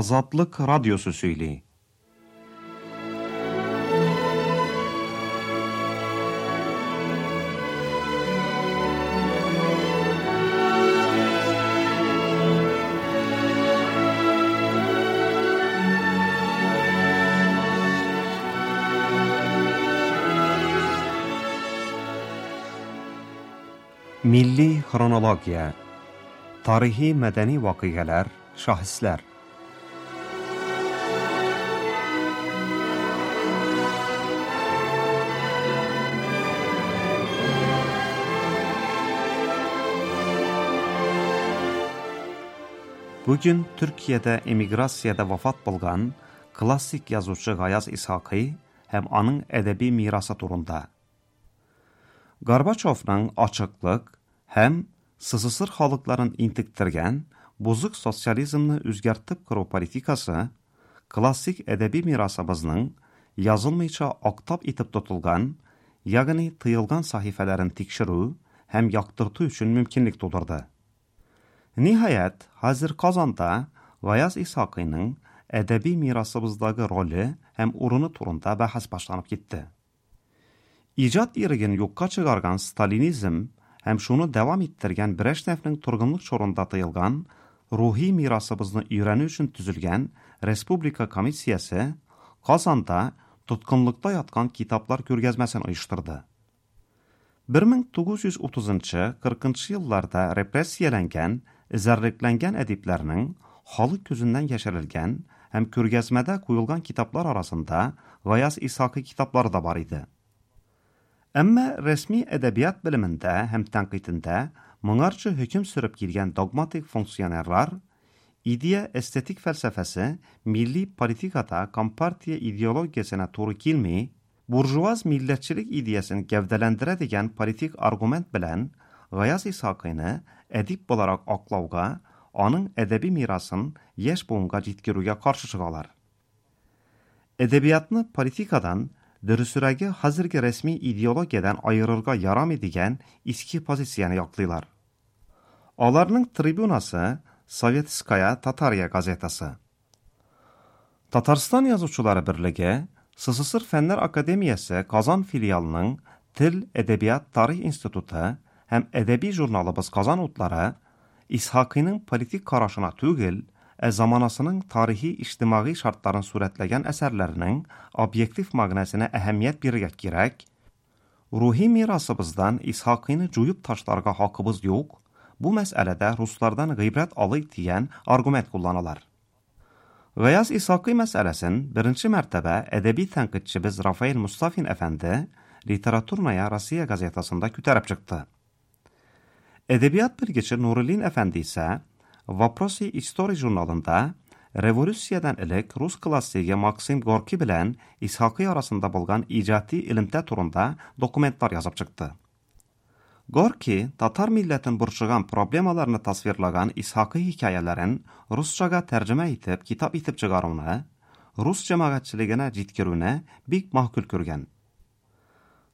Азатлык радиосы сөйли. Милли хронология. Тарихи мәдәни вакыйгалар, шәхесләр. Бүген Төркиядә эмиграциядә вафат булган классик язучы Гаяз Исхакый һәм аның әдәби мирасы турында. Горбачевның ачыклык һәм СССР халыкларын интектергән бозык социализмны үзгәртеп кору политикасы классик әдәби мирасыбызның язылмыйча актап итеп тотылган, ягъни тыелган сәхифәләрен тикшерү һәм яктырту өчен мөмкинлек тудырды. Ниһаять, хәзер Казанда Гаяз Исхакыйның әдәби мирасыбыздагы роле һәм урыны турында бәхәс башланып китте. Иҗат иреген юкка чыгарган сталинизм һәм шуны дәвам иттергән Брежневның торгынлык чорында тыелган рухи мирасыбызны өйрәнү өчен төзелгән Республика комиссиясе Казанда тоткынлыкта яткан китаплар күргәзмәсен оештырды. 1930-40 елларда репрессияләнгән, эзәрлекләнгән әдипләрнең халык күзеннән яшерелгән һәм күргәзмәдә куелган китаплар арасында Гаяз Исхакый китаплары да бар иде. Әмма рәсми әдәбият белемендә һәм тәнкыйтендә моңарчы хөкем сөреп килгән догматик функционерлар идея эстетик фәлсәфәсе милли политикада компартия идеологиясенә туры килми, буржуаз милләтчелек идеясен гәүдәләндерә дигән политик аргумент белән Гаяз Исхакыйны әдип буларак аклауга, аның әдәби мирасын яшь буынга җиткерүгә каршы чыгалар. Әдәбиятны политикадан, дөресрәге хәзерге рәсми идеологиядән аерырга ярамый дигән иске позицияне яклыйлар. Аларның трибунасы Советская Татария газетасы. Татарстан язучылары берлеге СССР Фәннәр Академиясе Казан филиалының Тел, Әдәбият, Тарих институты һәм әдәби журналыбыз Казан утлары Исхакыйның политик карашына түгел, ә заманасының тарихи иҗтимагый шартларын сурәтләгән әсәрләренең объектив мәгънәсенә әһәмият бирергә кирәк, рухи мирасыбыздан Исхакыйны җуеп ташларга хакыбыз юк, бу мәсьәләдә руслардан гыйбрәт алыйк дигән аргумент кулланалар. Гаяз Исхакый мәсьәләсен беренче мәртәбә әдәби тәнкыйтьчебез Рафаэль Мустафин әфәнде Литературная Россия газетасында күтәреп чыкты. Әдәбият белгече Нуруллин әфәнде исә Вопросы истории журналында революциядән элек рус классигы Максим Горький белән Исхакый арасында булган иҗади элемтә турында документлар язып чыкты. Горький татар милләтен борчыган проблемаларны тасвирлаган Исхакый хикәяләрен русчага тәрҗемә итеп, китап итеп чыгаруны, рус җәмәгатьчелегенә җиткерүне бик мәгъкуль күргән.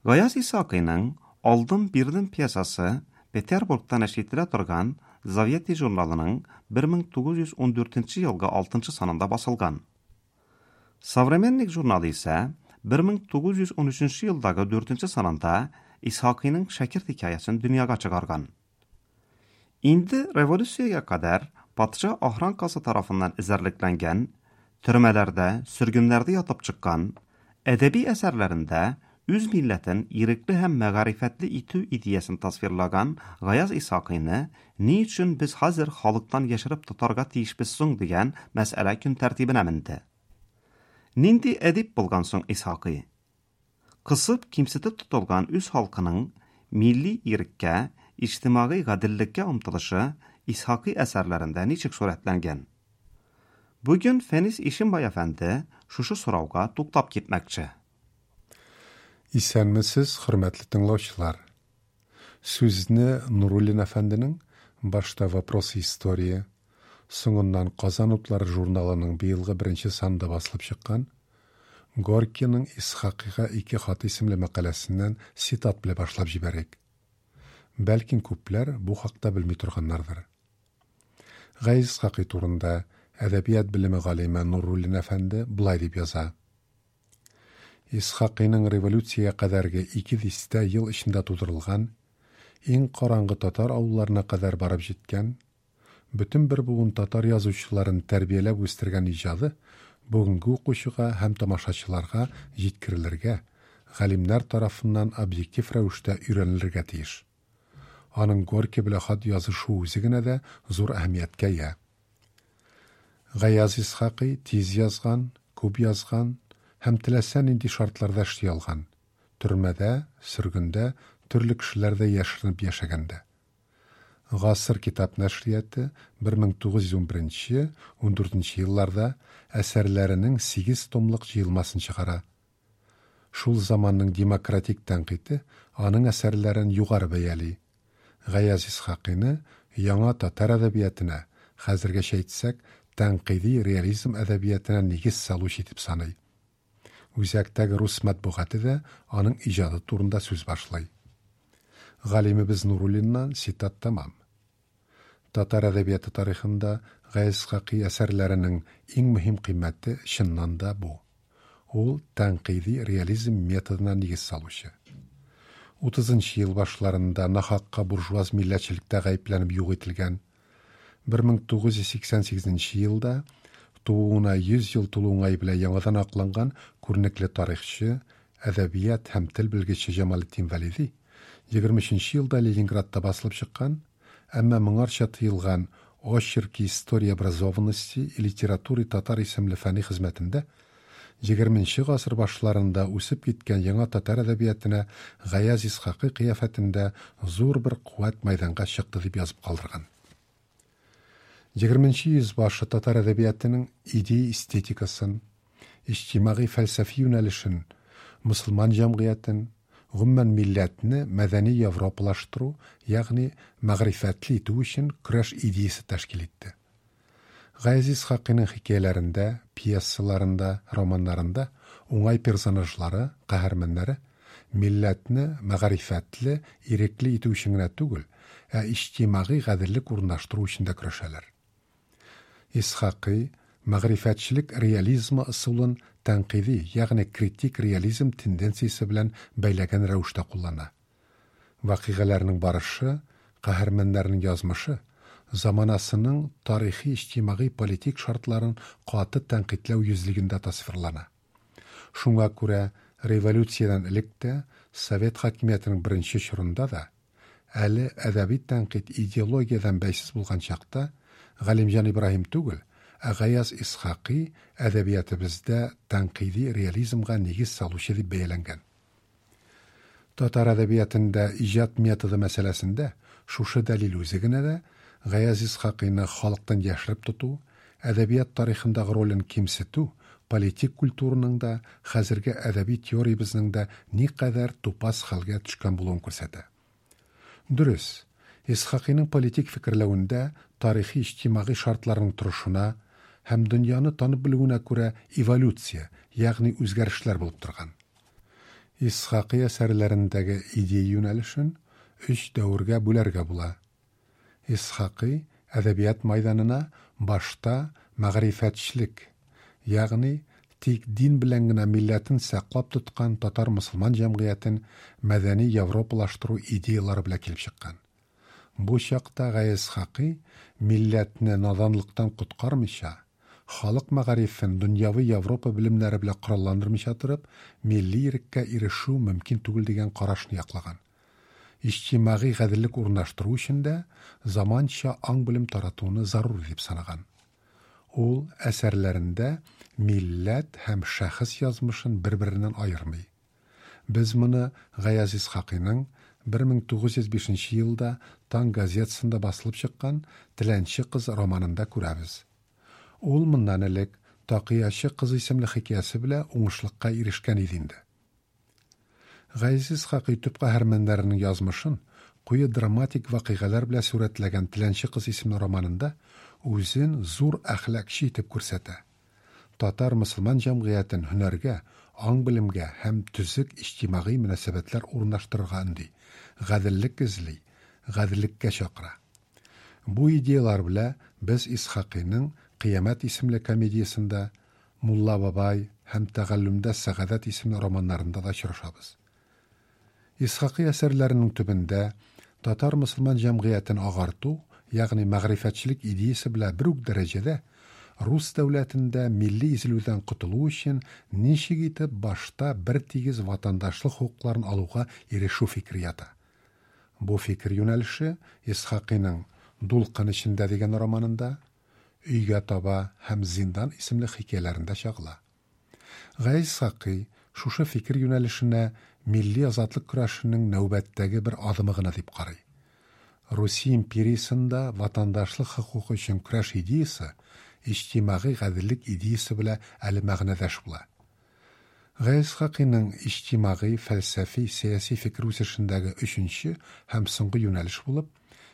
Гаяз Исхакыйның Алдым бирдем пьесасы Петербургта нәшр ителә торган Заветы журналының 1914 елгы 6 санында басылган. Современник журналы исә 1913 елдагы 4 санында Исхакыйның Шәкерт хикәясен дөньяга чыгарган. Инде революциягә кадәр патша охранкасы тарафыннан эзәрлекләнгән, төрмәләрдә, сөргеннәрдә ятып чыккан, әдәби әсәрләрендә үз милләтен ирекле һәм мәгарифәтле итү идеясын тасвирлаган Гаяз Исхакыйны ни өчен без хәзер халыктан яшереп тотарга тиешбез соң дигән мәсьәлә көн тәртибенә менде. Нинди әдип булган соң Исхакый? Кысып, кимсетеп тотылган үз халкының милли иреккә, иҗтимагый гаделлеккә омтылышы Исхакый әсәрләрендә ничек сурәтләнгән? Бүген Фәнис Ишимбай әфәнде шушы сорауга туктап китмәкче. Исәнмесез, хөрмәтле тыңлаучылар. Сүзне Нуруллин әфәнденең башта Вопросы истории, соңыннан Казан утлары журналының быелгы беренче санында басылып чыккан Горькийның Исхакыйга ике хат исемле мәкаләсеннән цитат белән башлап җибәрик. Бәлкем күпләр бу хакта белми торганнардыр. Гаяз Исхакый турында Әдәбият белеме галиме Нуруллин әфәнде болай дип яза. Исхакыйның революциягә кадәрге ике дистә ел эчендә тудырылган, иң караңгы татар авылларына кадәр барып җиткән, бөтен бер буын татар язучыларын тәрбияләп үстергән иҗады бүгенге укучыга һәм тамашачыларга җиткерелергә, галимнәр тарафыннан объектив рәвештә өйрәнелергә тиеш. Аның Горький белән хат язышу үзе генә дә зур әһәмияткә ия. Гаяз Исхакый тиз язган, күп язган һәм теләсә нинди шартларда эшли алган. Төрмәдә, сөргендә, төрле кешеләрдә яшеренеп яшәгәндә. Гасыр китап нәшрияты 1911-14 елларда әсәрләренең 8 томлык җыелмасын чыгара. Шул заманның демократик тәнкыйте аның әсәрләрен югары бәяли. Гаяз Исхакыйны яңа татар әдәбиятына, хәзергәчә әйтсәк, тәнкыйди реализм әдәбиятына нигез салучы итеп саный. Үзәктәге рус матбугаты да аның иҗаты турында сүз башлый. Галимебез Нуруллиннан цитат тәмам. Татар әдәбияты тарихында Гаяз Исхакый әсәрләренең иң мөһим кыйммәте чыннан да бу. Ул тәнкыйди реализм методына нигез салучы. 30 ел башларында нахакка буржуаз милләтчелектә гаепләнеп юк ителгән, 1988 елда тууына 100 ел тулу уңае белән яңадан акланган күренекле тарихчы, әдәбият һәм тел белгече Җамалетдин Вәлиди 23 елда Ленинградта басылып чыккан, әмма моңарча тыелган Очерки истории образованности и литературы татар исемле фәнни хезмәтендә 20 гасыр башларында үсеп киткән яңа татар әдәбиятына Гаяз Исхакый кыяфәтендә зур бер куәт мәйданга чыкты дип язып калдырган. 20 йөз башы татар әдәбиятының идея эстетикасын, иҗтимагый фәлсәфи юнәлешен, мөселман җәмгыятен, гомумән милләтне мәдәни европалаштыру, ягъни мәгърифәтле итү өчен көрәш идеясе тәшкил итте. Гаяз Исхакыйның хикәяләрендә, пьесаларында, романнарында уңай персонажлары, каһарманнары милләтне мәгърифәтле, ирекле итү өчен генә түгел, ә иҗтимагый гаделлек урнаштыру өчен дә көрәшәләр. Исхакый мәгърифәтчелек реализмы ысулын тәнкыйди, ягъни критик реализм тенденциясе белән бәйләгән рәвештә куллана. Вакыйгаларның барышы, каһарманнарның язмышы заманасының тарихи иҗтимагый политик шартларын каты тәнкыйтьләү йөзлегендә тасвирлана. Шуңа күрә революциядән элек тә, совет хакимиятенең беренче чорында да, әле әдәби тәнкыйть идеологиядән бәйсез булган чакта Галимҗан Ибраһим түгел, ә Гаяз Исхакый әдәбиятыбызда тәнкыйди реализмга нигез салучы дип бәяләнгән. Татар әдәбиятында иҗат методы мәсьәләсендә шушы дәлил үзе генә дә Гаяз Исхакыйны халыктан яшереп тоту, әдәбият тарихындагы ролен кимсетү, политик культураның да, хәзерге әдәби теориябезнең дә никадәр тупас хәлгә төшкән булуын күрсәтә. Дөрес, Исхакыйның политик фикерләвендә тарихи иҗтимагый шартларның торышына һәм дөньяны танып белүенә күрә эволюция, ягъни үзгәрешләр булып торган. Исхакый әсәрләрендәге идея юнәлешен өч дәвергә бүләргә була. Исхакый әдәбият майданына башта мәгърифәтчелек, ягъни тик дин белән генә милләтен саклап тоткан татар мөселман җәмгыятен мәдәни европалаштыру идеялары белән килеп чыккан. Бу чакта Гаяз Исхакый милләтне наданлыктан коткармыйча, халык мәгарифен дөньяви Европа белемнәре белән коралландырмыйча торып, милли иреккә ирешү мөмкин түгел дигән карашны яклаган. Иҗтимагый гаделлек урнаштыру өчен дә заманча аң-белем таратуны зарур дип санаган. Ул әсәрләрендә милләт һәм шәхес язмышын бер-береннән аермый. Без моны Гаяз Исхакыйның 1905 елда Таң газетасында басылып чыккан Теләнче кыз романында күрәбез. Ул моннан элек Такыячы кыз исемле хикәясе белән уңышлыкка ирешкән иде инде. Гаяз Исхакый төп каһарманнарының язмышын куе драматик вакыйгалар белән сурәтләгән Теләнче кыз исемле романында үзен зур әхлакчы итеп күрсәтә. Татар мөселман җәмгыятен һөнәргә, аң-белемгә һәм төзек иҗтимагый мөнәсәбәтләр урнаштырырга өнди, гаделлек эзли, гаделлеккә чакыра. Бу идеялар белән без Исхакыйның Кыямәт исемле комедиясендә, Мулла бабай һәм Тәгаллүмдә сәгадәт исемле романнарында да очрашабыз. Исхакый әсәрләренең төбендә татар мөселман җәмгыятен агарту, ягъни мәгърифәтчелек идеясе белән бер үк дәрәҗәдә рус дәүләтендә милли изелүдән котылу өчен ничек итеп башта бертигез ватандашлык хокукларын алуга ирешү фикере ята. Бу фикер юнәлеше Исхакыйның Дулкын эчендә дигән романында, Өйгә таба һәм Зиндан исемле хикәяләрендә чагыла. Гаяз Исхакый шушы фикер юнәлешенә милли азатлык көрәшенең нәүбәттәге бер адымы гына дип карый. Русия империясендә ватандашлык хокукы өчен көрәш идеясе иҗтимагый гаделлек идеясе белән әле мәгънәдәш була. Гаяз Исхакыйның иҗтимагый, фәлсәфи, сәяси фикер үсешендәге өченче һәм соңгы юнәлеш булып,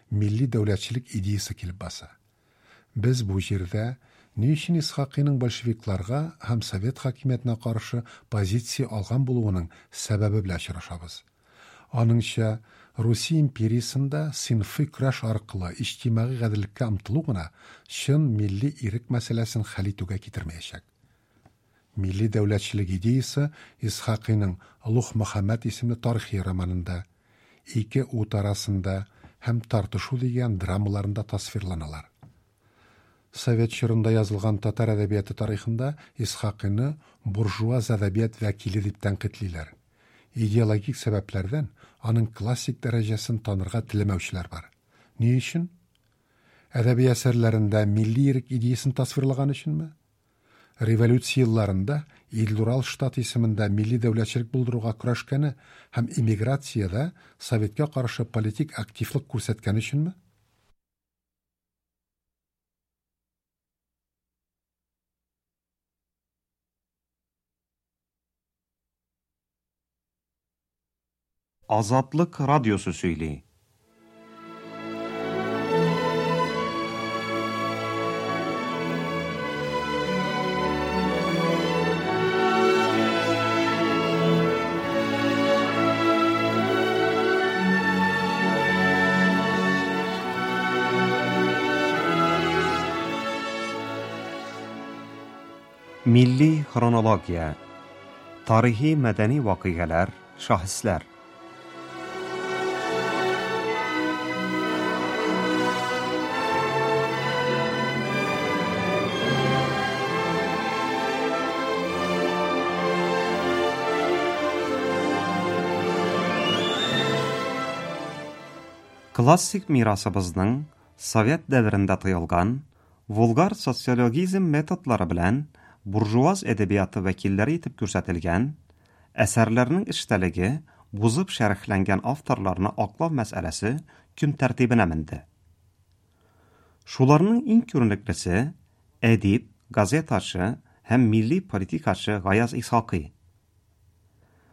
милли дәүләтчелек идеясе килеп баса. Без бу җирдә ни өчен Исхакыйның большевикларга һәм совет хакимиятенә каршы позиция алган булуының сәбәбе белән очрашабыз. Аныңча, Русия империясендә сыйнфый көрәш аркылы иҗтимагый гаделлеккә омтылу гына чын милли ирек мәсьәләсен хәл итүгә китермәячәк. Милли дәүләтчелек идеясе Исхакыйның Олуг Мөхәммәд исемле тарихи романында, Ике ут арасында һәм Тартышу дигән драмаларында тасвирланалар. Совет чорында язылган татар әдәбияты тарихында Исхакыйны буржуаз әдәбият вәкиле дип тәнкыйтьлиләр. Идеологик сәбәпләрдән аның классик дәрәҗәсен танырга теләмәүчеләр бар. Ни өчен? Әдәби әсәрләрендә милли ирек идеясен тасвирлаган өченме? Революция елларында Идел-Урал штаты исемендә милли дәүләтчелек булдыруга көрәшкәне һәм эмиграциядә советка каршы политик активлык күрсәткәне өченме? Азатлык радиосы сөйли. Милли хронология. Тарихи мәдәни вакыйгалар, шәхесләр. Классик мирасыбызның совет дәверендә тыелган вулгар социологизм методлары белән буржуаз әдәбияты вәкилләре итеп күрсәтелгән, әсәрләрнең эчтәлеге бузып шәрехләнгән авторларны аклау мәсьәләсе көн тәртибенә менде. Шуларның иң күренеклесе әдип, газетачы һәм милли политикачы Гаяз Исхакый.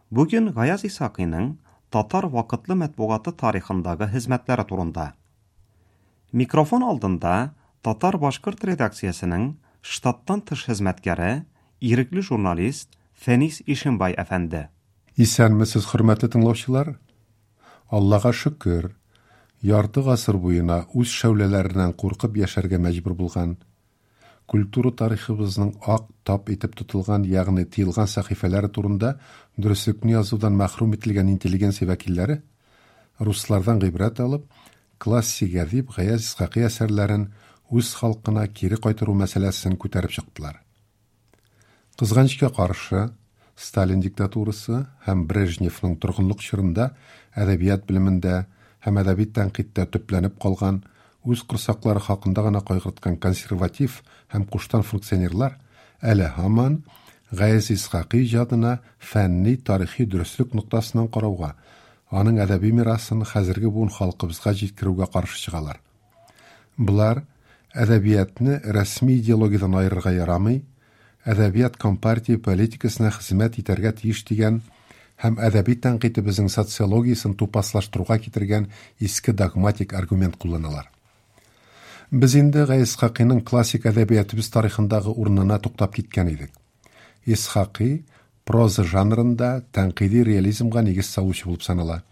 Бүген Гаяз Исхакыйның татар вакытлы матбугаты тарихындагы хезмәтләре турында. Микрофон алдында татар-башкорт редакциясенең штаттан тыш хезмәткәре, ирекле журналист Фәнис Ишембай әфәнде. Исәнмесез, хөрмәтле тыңлаучылар. Аллага шөкер, ярты гасыр буена үз шәүләләреннән куркып яшәргә мәҗбүр булган, культура тарихыбызның ак тап итеп тотылган, ягъни тыелган сәхифәләре турында дөреслекне язудан мәхрүм ителгән интеллигенция вәкилләре руслардан гыйбрәт алып, классик әдип Гаяз Исхакый әсәрләрен үз халкына кире кайтару мәсьәләсен күтәреп чыктылар. Кызганычка каршы, Сталин диктатурасы һәм Брежневның торгынлык чорында әдәбият белемендә һәм әдәби тәнкыйтьтә төпләнеп калган, үз корсаклары хакында гына кайгырткан консерватив һәм куштан функционерлар әле һаман Гаяз Исхакый иҗадына фәнни тарихи дөреслек ноктасыннан карауга, аның әдәби мирасын хәзерге буын халкыбызга җиткерүгә каршы чыгалар. Болар әдәбиятны рәсми идеологиядән аерырга ярамый, әдәбият компартия политикасына хезмәт итәргә тиеш дигән һәм әдәби тәнкыйтебезнең социологиясен тупаслаштыруга китергән иске догматик аргумент кулланалар. Без инде Гаяз Исхакыйның классик әдәбиятыбыз тарихындагы урынына туктап киткән идек. Исхакый проза жанрында тәнкыйди реализмга нигез салучы булып санала.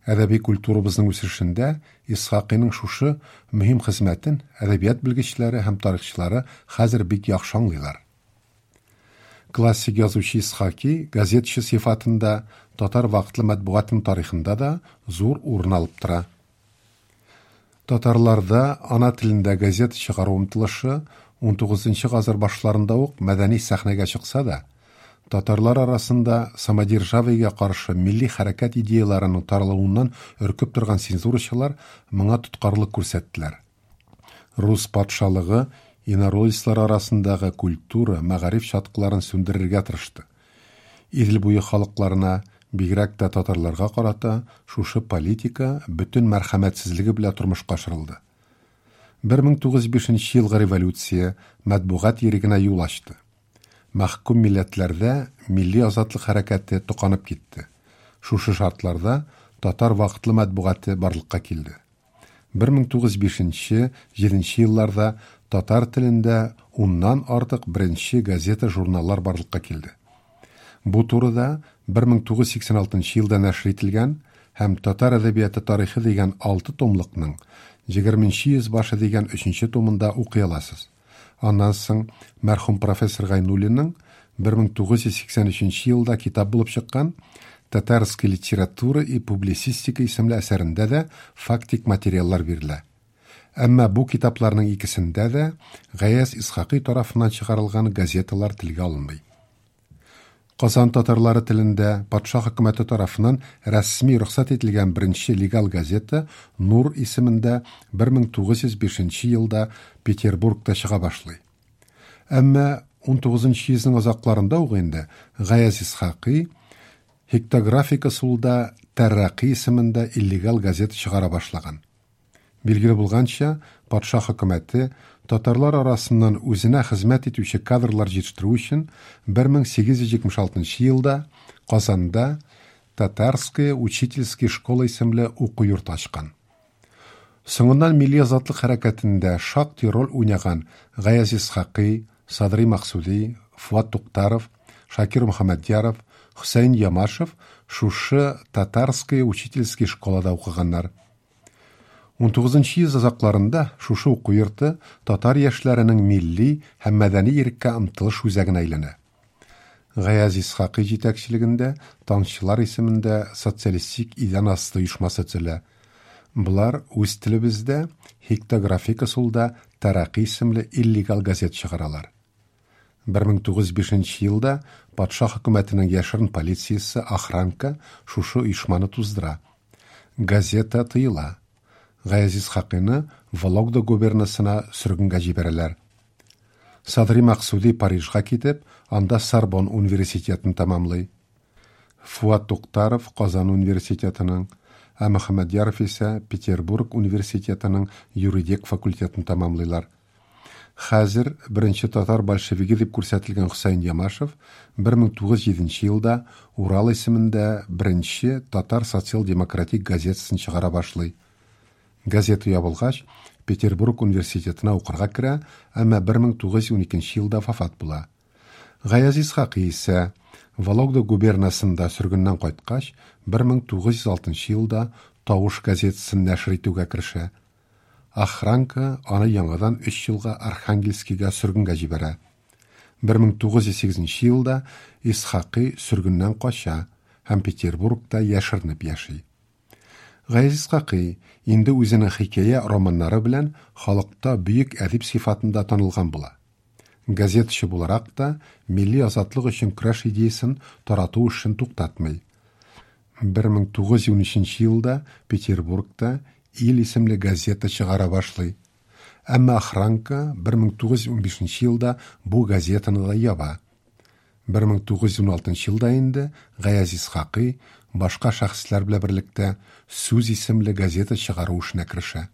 Әдәби культурабызның үсешендә Исхакыйның шушы мөһим хезмәтен әдәбият белгечләре һәм тарихчылары хәзер бик яхшы аңлыйлар. Классик язучы Исхаки газетчы сыйфатында татар вакытлы матбугатының тарихында да зур урын алып тора. Татарларда ана телендә газета чыгару омтылышы 19 гасыр башларында ук мәдәни сәхнәгә чыкса да, татарлар арасында самодержавиегә каршы милли хәрәкәт идеяларының таралуыннан өркеп торган цензурачылар моңа тоткарлык күрсәттеләр. Рус патшалыгы инородецлар арасындагы культура, мәгариф чаткыларын сүндерергә тырышты. Идел буе халыкларына, бигрәк тә татарларга карата шушы политика бөтен мәрхәмәтсезлеге белән тормышка ашырылды. 1905 елгы революция матбугат ирегенә юл ачты. Мәхкүм милләтләрдә милли азатлык хәрәкәте токанып китте. Шушы шартларда татар вакытлы матбугаты барлыкка килде. 1905-7 елларда татар телендә уннан артык беренче газета-журналлар барлыкка килде. Бу турыда 1986 елда нәшер ителгән һәм Татар әдәбияты тарихы дигән 6 томлыкның 20 йөз башы дигән 3 томында укый аласыз. Аннан соң мәрхүм профессор Гайнуллинның 1983 елда китап булып чыккан Татарская литература и публицистика исемле әсәрендә дә фактик материаллар бирелә. Әмма бу китапларның икесендә дә Гаяз Исхакый тарафыннан чыгарылган газеталар телгә алынмый. Казан татарлары телендә патша хөкүмәте тарафыннан рәсми рөхсәт ителгән беренче легал газета Нур исемендә 1905 елда Петербургта чыга башлый. Әмма 19 йөзнең азакларында ук инде Гаяз Исхакый хектографик ысулда Тәррәкый исемендә иллегал газета чыгара башлаган. Билгеле булганча, патша хөкүмәте татарлар арасыннан үзенә хезмәт итүче кадрлар җитештерү өчен 1876 елда Казанда Татарская учительская школа исемле уку йорты ачкан. Соңыннан милли азатлык хәрәкәтендә шактый роль уйнаган Гаяз Исхакый, Садри Максуди, Фуат Туктаров, Шакир Мөхәммәдьяров, Хөсәен Ямашев шушы Татарская учительская школада укыганнар. 19 йөз азакларында шушы уку йорты татар яшьләренең милли һәм мәдәни иреккә омтылыш үзәгенә әйләнә. Гаяз Исхакый җитәкчелегендә Таңчылар исемендә социалистик идән асты оешмасы төзелә. Болар үз телебездә хектографик ысулда Тәрәкый исемле иллегал газет чыгаралар. 1905 елда патша хөкүмәтенең яшерен полициясе охранка шушы оешманы туздыра. Газета тыела. Гаяз Исхакыйны Вологда губернасына сөргенгә җибәрәләр. Садри Максуди Парижга китеп, анда Сорбон университетын тәмамлый. Фуат Туктаров Казан университетының, ә Мөхәммәдьяров исә Петербург университетының юридик факультетын тәмамлыйлар. Хәзер беренче татар большевиге дип күрсәтелгән Хөсәен Ямашев 1907 елда Урал исемендә беренче татар социал-демократик газетасын чыгара башлый. Газета ябылгач, Петербург университетына укырга керә, әмма 1912 елда вафат була. Гаяз Исхакый исә Вологда губернасында сөргеннән кайткач, 1906 елда Тавыш газетасын нәшер итүгә керешә. Охранка аны яңадан 3 елга Архангельскийга сөргенгә җибәрә. 1908 елда Исхакый сөргеннән кача һәм Петербургта яшеренеп яши. Гаяз Исхакый инде үзенең хикәя романнары белән халыкта бөек әдип сыйфатында танылган була. Газетачы буларак та милли азатлык өчен көрәш идеясын тарату эшен туктатмый. 1913 елда Петербургта Ил исемле газета чыгара башлый. Әмма охранка 1915 елда бу газетаны да яба. 1916 елда инде Гаяз Исхакый башка шәхесләр белән берлектә Сүз исемле газета чыгару эшенә керешә.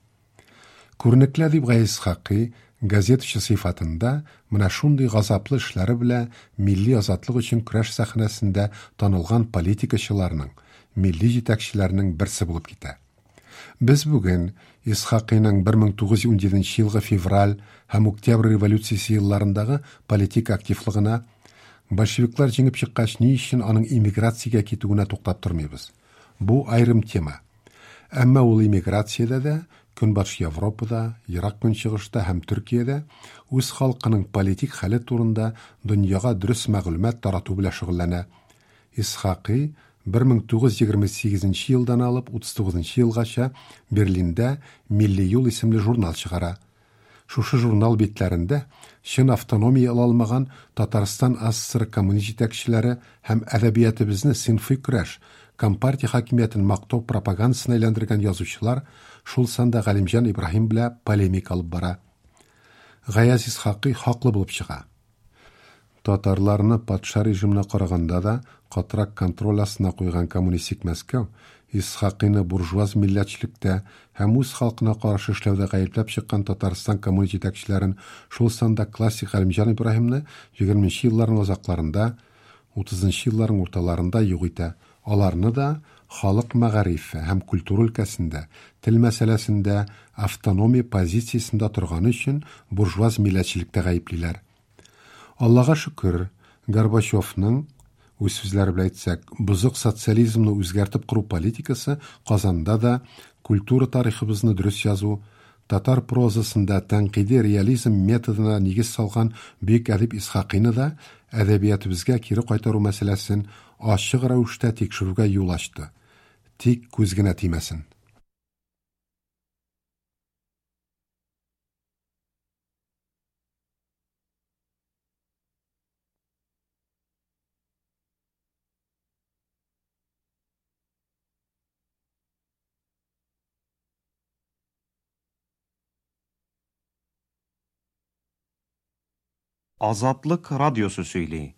Күренекле әдип Гаяз Исхакый газетачы сыйфатында менә шундый газаплы эшләре белән милли азатлык өчен көрәш сәхнәсендә танылган политикачыларның, милли җитәкчеләрнең берсе булып китә. Без бүген Исхакыйның 1917 елгы февраль һәм октябрь революциясе елларындагы политик активлыгына, большевиклар җиңеп чыккач ни өчен аның эмиграциягә китүенә туктап тормыйбыз. Бу аерым тема. Әмма ул эмиграциядә дә, Көнбатыш Европада, Ерак Көнчыгышта һәм Төркиядә үз халкының политик хәле турында дөньяга дөрес мәгълүмат тарату белән шөгыльләнә. Исхакый 1928 елдан алып 39 елгача Берлинда Милли юл исемле журнал чыгара. Шушы журнал битләрендә чын автономия ала алмаган Татарстан АССР коммунист җитәкчеләре һәм әдәбиятыбызны сыйнфый көрәш, компартия хакимиятен мактау пропагандасына әйләндергән язучылар, шул санда Галимҗан Ибраһим белән полемика алып бара. Гаяз Исхакый хаклы булып чыга. Татарларны патша режимына караганда да катырак контроль астына куйган коммунистик Мәскәү Исхакыйны буржуаз милләтчелектә һәм үз халкына каршы эшләүдә гаепләп чыккан Татарстан коммунист җитәкчеләрен, шул санда классик Галимҗан Ибраһимны 20 елларның азакларында, 30 елларның урталарында юк итә. Аларны да халык мәгарифе һәм культура өлкәсендә, тел мәсьәләсендә автономия позициясендә торганы өчен буржуаз милләтчелектә гаеплиләр. Аллага шөкер, Горбачевның, үз сүзләре белән әйтсәк, бозык социализмны үзгәртеп кору политикасы Казанда да культура тарихыбызны дөрес язу, татар прозасында тәнкыйди реализм методына нигез салган бөек әдип Исхакыйны да әдәбиятыбызга кире кайтару мәсьәләсен ачык рәвештә тикшерүгә юл ачты. Тик күз генә тимәсен. Азатлык радиосы сөйли.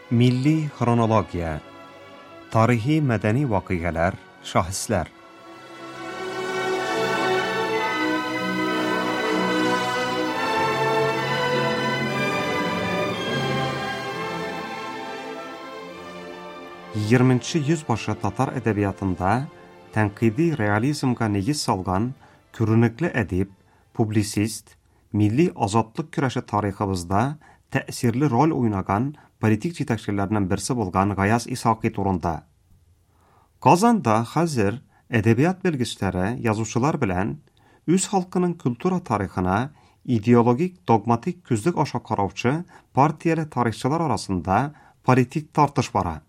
Милли хронология. Тарихи мәдәни вакыйгалар, шәхесләр. Егерменче йөз башы татар әдәбиятында тәнкыйди реализмга нигез салган күренекле әдип, публицист, милли азатлык көрәше тарихыбызда тәэсирле роль уйнаган политик җитәкчеләрнең берсе булган Гаяз Исхакый турында. Казанда хәзер әдәбият белгечләре, язучылар белән үз халкының культура тарихына идеологик догматик күзлек аша караучы партияле тарихчылар арасында политик тартыш бара.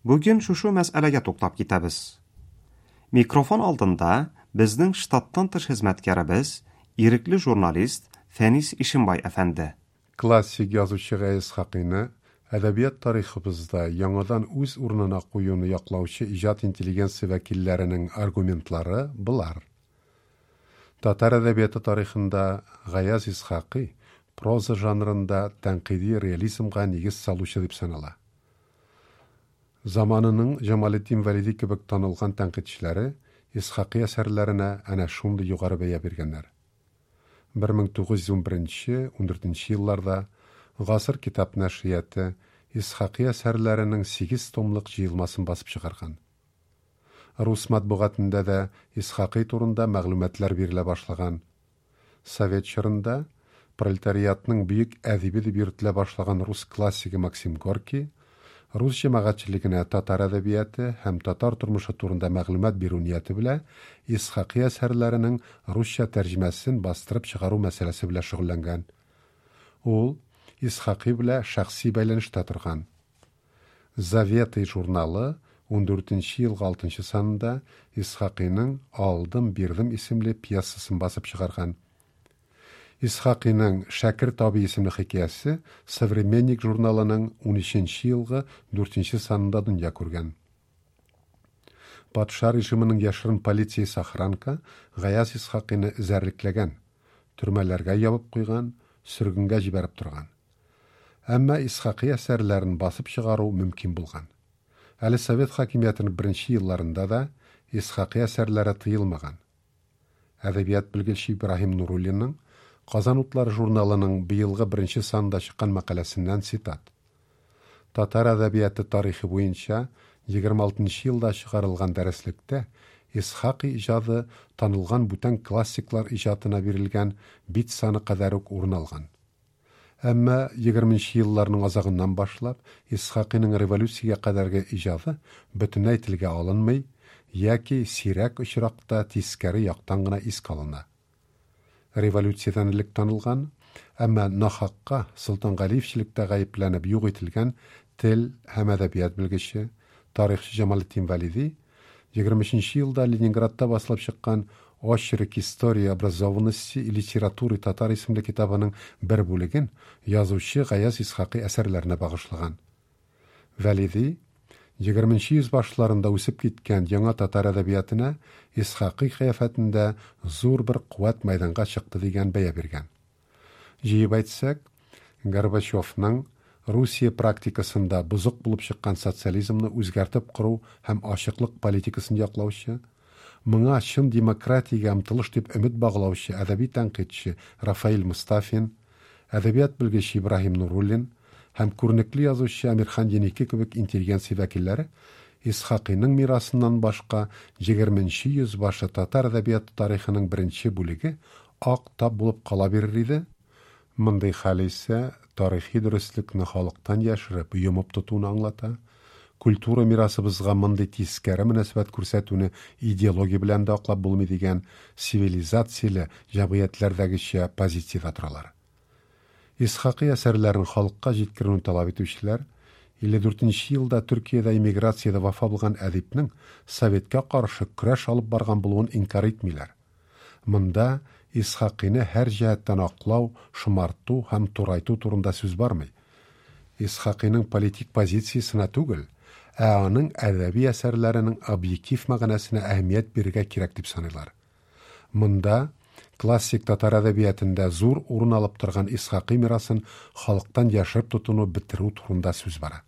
Бүген шушы мәсьәләгә туктап китәбез. Микрофон алдында безнең штаттан тыш хезмәткәребез, ирекле журналист Фәнис Ишимбай әфәнде. Классик язучы Гаяз Исхакыйны әдәбият тарихыбызда яңадан үз урынына куюны яклаучы иҗат интеллигенция вәкилләренең аргументлары болар. Татар әдәбияты тарихында Гаяз Исхакый проза жанрында тәнкыйди реализмга нигез салучы дип санала. Заманының Җамалетдин Вәлиди кебек танылган тәнкыйтьчеләре Исхакый әсәрләренә әнә шундый югары бәя биргәннәр. 1911-14 елларда Гасыр китап нәшрияты Исхакый әсәрләренең 8 томлык җыелмасын басып чыгарган. Рус матбугатында да Исхакый турында мәгълүматлар бирелә башлаган. Совет чорында пролетариатның бөек әдибе дип йөртелә башлаган рус классигы Максим Горький рус җәмәгатьчелегенә татар әдәбияты һәм татар тормышы турында мәгълүмат бирү нияте белән Исхакый әсәрләренең русча тәрҗемәсен бастырып чыгару мәсьәләсе белән шөгыльләнгән. Ул Исхакый белән шәхси бәйләнештә торган. Заветы журналы 14 елгы 6 санында Исхакыйның Алдым бирдем исемле пьесасын басып чыгарган. Исхакыйның Шәкерт абый исемле хикәясе Современник журналының 13 елгы 4 санында дөнья күргән. Патша режимының яшерен полициясе охранка Гаяз Исхакыйны эзәрлекләгән, төрмәләргә ябып куйган, сөргенгә җибәреп торган. Әмма Исхакый әсәрләрен басып чыгару мөмкин булган. Әле Совет хакимиятенең беренче елларында да Исхакый әсәрләре тыелмаган. Әдәбият белгече Ибраһим Нуруллинның Казан утлары журналының быелгы беренче санында чыккан мәкаләсеннән цитат. Татар әдәбияты тарихы буенча 26 нчы елда чыгарылган дәреслектә Исхакый иҗады танылган бүтән классиклар иҗатына бирелгән бит саны кадәр үк урын алган. Әмма егерменче елларның азагыннан башлап Исхакыйның революциягә кадәрге иҗады бөтенләй телгә алынмый яки сирәк очракта тискәре яктан гына искә алына. Революциядән элек танылган, әмма нахакка солтангалиевчелектә гаепләнеп юк ителгән тел һәм әдәбият белгече, тарихчы Җамалетдин Вәлиди 23 нче елда Ленинградта басылып чыккан Очерк истории образованности и литературы татар исемле китабының бер бүлеген язучы Гаяз Исхакый әсәрләренә багышлаган. Вәлиди, егерменче йөз башларында үсеп киткән яңа татар әдәбиятына Исхакый кыяфәтендә зур бер куәт мәйданга чыкты дигән бәя биргән. Җыеп әйтсәк, Горбачевның Русия практикасында бозык булып чыккан социализмны үзгәртеп кору һәм ачыклык политикасын яклаучы, моңа чын демократиягә омтылыш дип өмет баглаучы әдәби тәнкыйтьче Рафаэль Мостафин, әдәбият белгече Ибраһим Нуруллин һәм күренекле язучы Әмирхан Еники кебек интеллигенция вәкилләре Исхакыйның мирасыннан башка егерменче йөз башы татар әдәбияты тарихының беренче бүлеге ак тап булып кала бирер иде. Мондый хәл исә тарихи дөреслекне халыктан яшереп, йомып тотуны аңлата, культура мирасыбызга мондый тискәре мөнәсәбәт күрсәтүне идеология белән дә аклап булмый дигән цивилизацияле җәмгыятьләрдәгечә позициядә торалар. Исхакый әсәрләрен халыкка җиткерүне таләп итүчеләр 54 нче елда Төркиядә эмиграциядә вафа булган әдипнең советка каршы көрәш алып барган булуын инкарь итмиләр. Монда Исхакыйны һәр җәһәттән аклау, шомарту һәм турайту турында сүз бармый. Исхакыйның политик позициясенә түгел, ә аның әдәби әсәрләренең объектив мәгънәсенә әһәмият бирергә кирәк дип саныйлар. Монда классик татар әдәбиятында зур урын алып торган Исхакый мирасын халыктан яшереп тотуны бетерү турында сүз бара.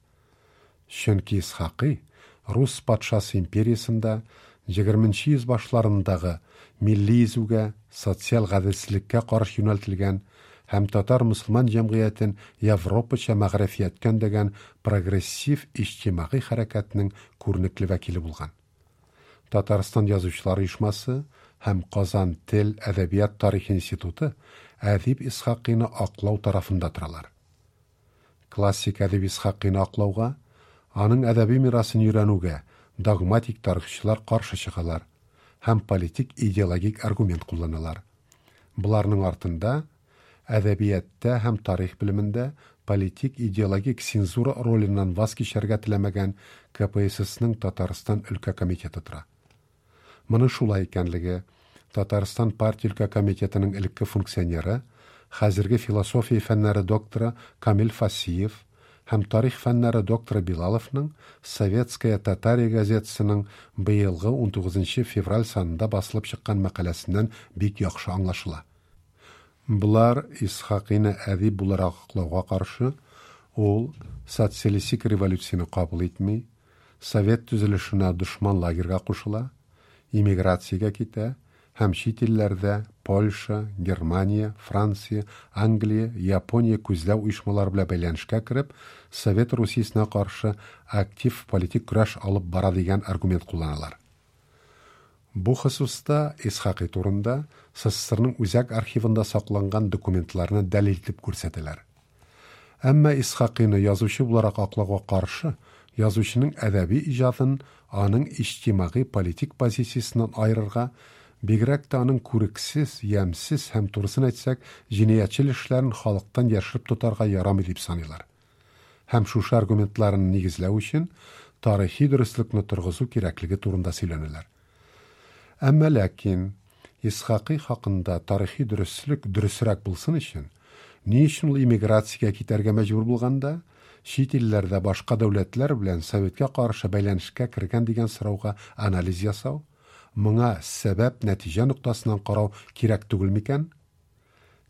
Чөнки Исхакый рус патшасы империясендә егерменче йөз башларындагы милли изүгә, социаль гаделсезлеккә каршы юнәлтелгән һәм татар-мөселман җәмгыятен европача мәгърифияткә өндәгән прогрессив иҗтимагый хәрәкәтнең күренекле вәкиле булган. Татарстан Язучылар оешмасы һәм Казан тел, әдәбият тарихы институты әдип Исхакыйны аклау тарафында торалар. Классик әдип Исхакыйны аклауга, аның әдәби мирасын өйрәнүгә догматик тарихчылар каршы чыгалар һәм политик-идеологик аргумент кулланалар. Боларның артында әдәбиятта һәм тарих белемендә политик-идеологик цензура роленнән ваз кичәргә теләмәгән КПССның Татарстан өлкә комитеты тора. Моның шулай икәнлеге Татарстан партия өлкә комитетының элекке функционеры, хәзерге философия фәннәре докторы Камил Фасиев һәм тарих фәннәре докторы Билаловның Советская Татария газетасының быелгы 19 февраль санында басылып чыккан мәкаләсеннән бик яхшы аңлашыла. Болар Исхакыйны әдип буларак аклауга каршы, ул социалистик революцияне кабул итми, совет төзелешенә дошман лагерьга кушыла, эмиграциягә китә һәм чит илләрдә Польша, Германия, Франция, Англия, Япония күзләү оешмалары белән бәйләнешкә кереп, Совет Русиясенә каршы актив политик көрәш алып бара дигән аргумент кулланалар. Бу хосуста Исхакый турында СССРның үзәк архивында сакланган документларны дәлил итеп күрсәтәләр. Әмма Исхакыйны язучы буларак аклауга каршы язучының әдәби иҗатын аның иҗтимагый политик позициясеннән аерырга, бигрәк тә аның күрексез, ямьсез һәм турысын әйтсәк, җинаятьчел эшләрен халыктан яшереп тотарга ярамый дип саныйлар. Һәм шушы аргументларын нигезләү өчен тарихи дөреслекне торгызу кирәклеге турында сөйләнәләр. Әмма ләкин Исхакый хакында тарихи дөреслек дөресрәк булсын өчен, ни өчен ул эмиграциягә китәргә мәҗбүр булганда, чит илләрдә башка дәүләтләр белән советка каршы бәйләнешкә кергән дигән сорауга анализ ясау, моңа сәбәп нәтиҗә ноктасыннан карау кирәк түгел микән?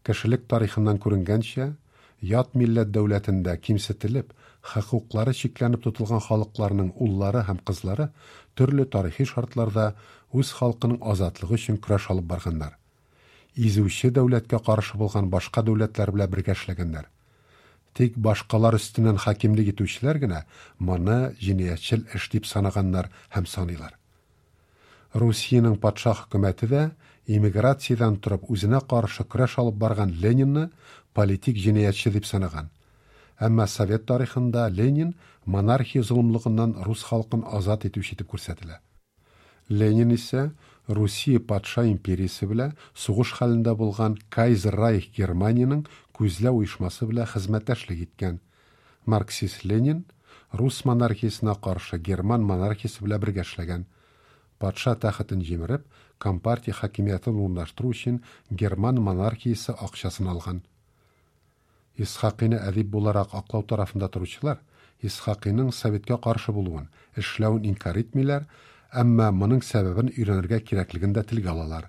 Кешелек тарихыннан күренгәнчә, ят милләт дәүләтендә кимсетелеп, хокуклары чикләнеп тотылган халыкларның уллары һәм кызлары төрле тарихи шартларда үз халкының азатлыгы өчен көрәш алып барганнар. изүче дәүләткә каршы булган башка дәүләтләр белән бергә эшләгәннәр. Тик башкалар өстеннән хакимлек итүчеләр генә моны җинаятьчел эш дип санаганнар һәм саныйлар. Русиянең патша хөкүмәте дә эмиграциядән торып үзенә каршы көрәш алып барган Ленинны политик җинаятьче дип санаган. Әмма совет тарихында Ленин монархия золымлыгыннан рус халкын азат итүче итеп күрсәтелә. Ленин исә Русия патша империясе белән сугыш хәлендә булган Кайзер-Райх Германиянең күзләү оешмасы белән хезмәттәшлек иткән. Марксист Ленин рус монархиясенә каршы герман монархиясе белән бергә эшләгән. Патша тәхетен җимереп, компартия хакимиятен урнаштыру өчен герман монархиясе акчасын алган. Исхакыйны әдип буларак аклау тарафында торучылар Исхакыйның советка каршы булуын, эшләвен инкар итмиләр, әмма моның сәбәбен өйрәнергә кирәклеген дә телгә алалар.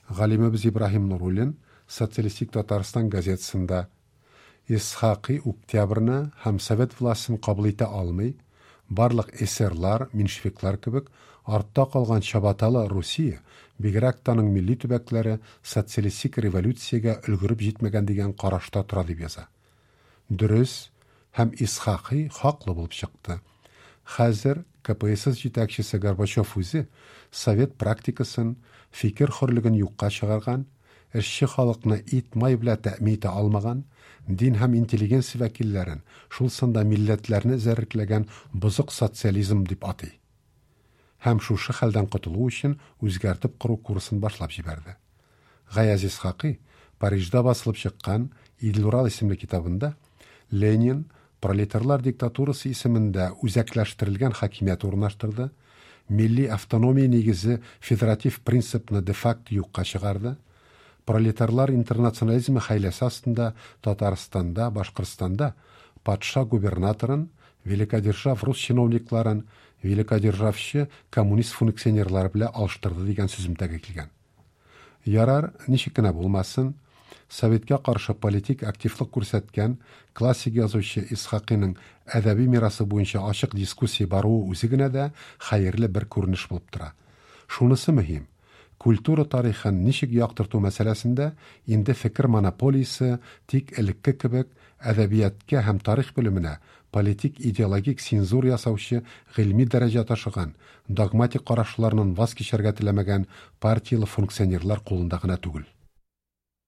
Галимебез Ибраһим Нуруллин Социалистик Татарстан газетасында Исхакый Октябрьне һәм совет властен кабул итә алмый, барлык эсерлар, меньшевиклар кебек артта калган чабаталы Русия, бигрәк тә аның милли төбәкләре социалистик революциягә өлгереп җитмәгән дигән карашта тора дип яза. Дөрес һәм Исхакый хаклы булып чыкты. Хәзер КПСС җитәкчесе Горбачев үзе совет практикасын, фикер хөрлеген юкка чыгарган, эшче халыкны ит-май белән тәэмин итә алмаган, дин һәм интеллигенция вәкилләрен, шул санда милләтләрне эзәрлекләгән бозык социализм дип атый. Һәм шушы хәлдән котылу өчен үзгәртеп кору курсын башлап җибәрде. Гаяз Исхакый Парижда басылып чыккан Идел-Урал исемле китабында Ленин пролетарлар диктатурасы исемендә үзәкләштерелгән хакимият урнаштырды, милли автономия нигезе федератив принципны де-факто юкка чыгарды, пролетарлар интернационализмы хәйләсе астында Татарстанда, Башкортстанда патша губернаторын, великодержав рус чиновникларын, великодержавчы коммунист функционерлары белән алыштырды дигән сүземтәгә килгән. Ярар, ничек кенә булмасын, Советка каршы политик активлык күрсәткән классик язучы Исхакыйның әдәби мирасы буенча ачык дискуссия баруы үзе генә дә хәерле бер күренеш булып тора. Шунысы мөһим, культура тарихын ничек яктырту мәсьәләсендә инде фикер монополиясе тик элекке кебек әдәбиятка һәм тарих белеменә политик идеологик цензура ясаучы гыйльми дәрәҗә ташыган, догматик карашларыннан ваз кичәргә теләмәгән партияле функционерлар кулында гына түгел.